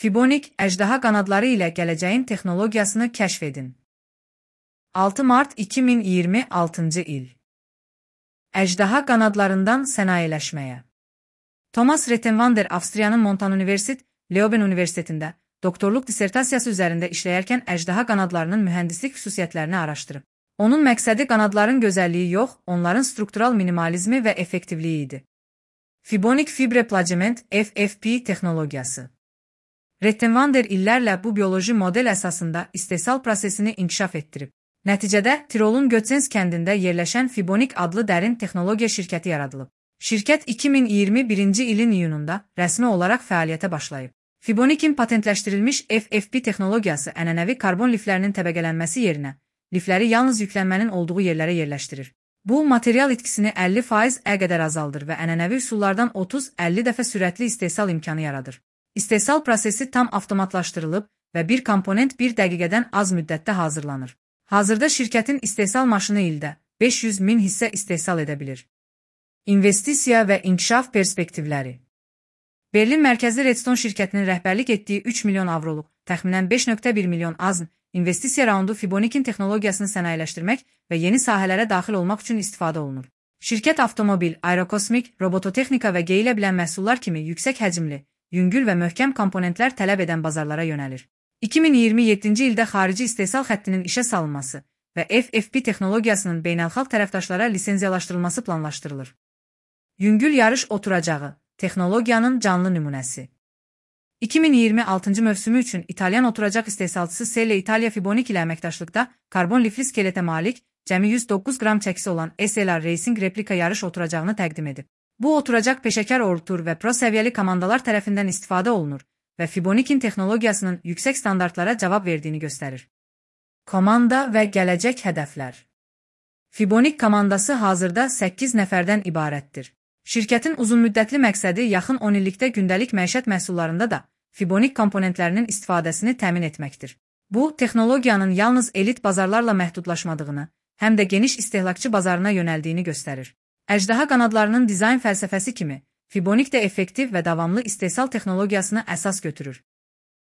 Fibonik, əjdaha qanadları ilə gələcəyin texnologiyasını kəşf edin. 6 mart 2026-cı il. Əjdaha qanadlarından sənayeləşməyə. Thomas Rettenwander Avstriyanın Montan Universitet, Leuven Universitetində doktorluq dissertasiyası üzərində işləyərkən əjdaha qanadlarının mühəndislik xüsusiyyətlərini araşdırıb. Onun məqsədi qanadların gözəlliyi yox, onların struktural minimalizmi və effektivliyi idi. Fibonik fibre plagement FFP texnologiyası. Rettenwander illərlə bu bioloji model əsasında istehsal prosesini inkişaf etdirib. Nəticədə Tirolun Götzenz kəndində yerləşən Fibonik adlı dərin texnologiya şirkəti yaradılıb. Şirkət 2021-ci ilin iyununda rəsmi olaraq fəaliyyətə başlayıb. Fibonikin patentləşdirilmiş FFP texnologiyası ənənəvi karbon liflərinin təbəqələnməsi yerinə lifləri yalnız yüklənmənin olduğu yerlərə yerləşdirir. Bu, material itkisini 50% qədər azaldır və ənənəvi üsullardan 30-50 dəfə sürətli istehsal imkanı yaradır. İstehsal prosesi tam avtomatlaşdırılıb və bir komponent 1 dəqiqədən az müddətdə hazırlanır. Hazırda şirkətin istehsal maşını ildə 500 min hissə istehsal edə bilir. İnvestisiya və inkişaf perspektivləri. Berlin mərkəzli Redstone şirkətinin rəhbərlik etdiyi 3 milyon avroluq, təxminən 5,1 milyon AZN investisiya raundu Fibonikin texnologiyasını sənayeləşdirmək və yeni sahələrə daxil olmaq üçün istifadə olunur. Şirkət avtomobil, aerokosmik, robototexnika və geyilə bilən məhsullar kimi yüksək həcmli, yüngül və möhkəm komponentlər tələb edən bazarlara yönəlir. 2027-ci ildə xarici istehsal xəttinin işə salınması və FFP texnologiyasının beynəlxalq tərəfdaşlara lisenziyalaşdırılması planlaşdırılır. Yüngül yarış oturacağı, texnologiyanın canlı nümunəsi. 2026-cı mövsümü üçün İtalyan oturacaq istehsalçısı Selle Italia Fibonik ilə əməkdaşlıqda karbon lifli skeletə malik, cəmi 109 qram çəkisi olan SLR Racing replika yarış oturacağını təqdim edib. Bu oturacaq peşəkar ortur və pro səviyyəli komandalar tərəfindən istifadə olunur və Fibonikin texnologiyasının yüksək standartlara cavab verdiyini göstərir. Komanda və gələcək hədəflər. Fibonik komandası hazırda 8 nəfərdən ibarətdir. Şirkətin uzunmüddətli məqsədi yaxın 10 illikdə gündəlik məişət məhsullarında da Fibonik komponentlərinin istifadəsini təmin etməkdir. Bu, texnologiyanın yalnız elit bazarlarla məhdudlaşmadığını, həm də geniş istehlakçı bazarına yönəldiyini göstərir. Əjdaha qanadlarının dizayn fəlsəfəsi kimi, Fibonik də effektiv və davamlı istehsal texnologiyasını əsas götürür.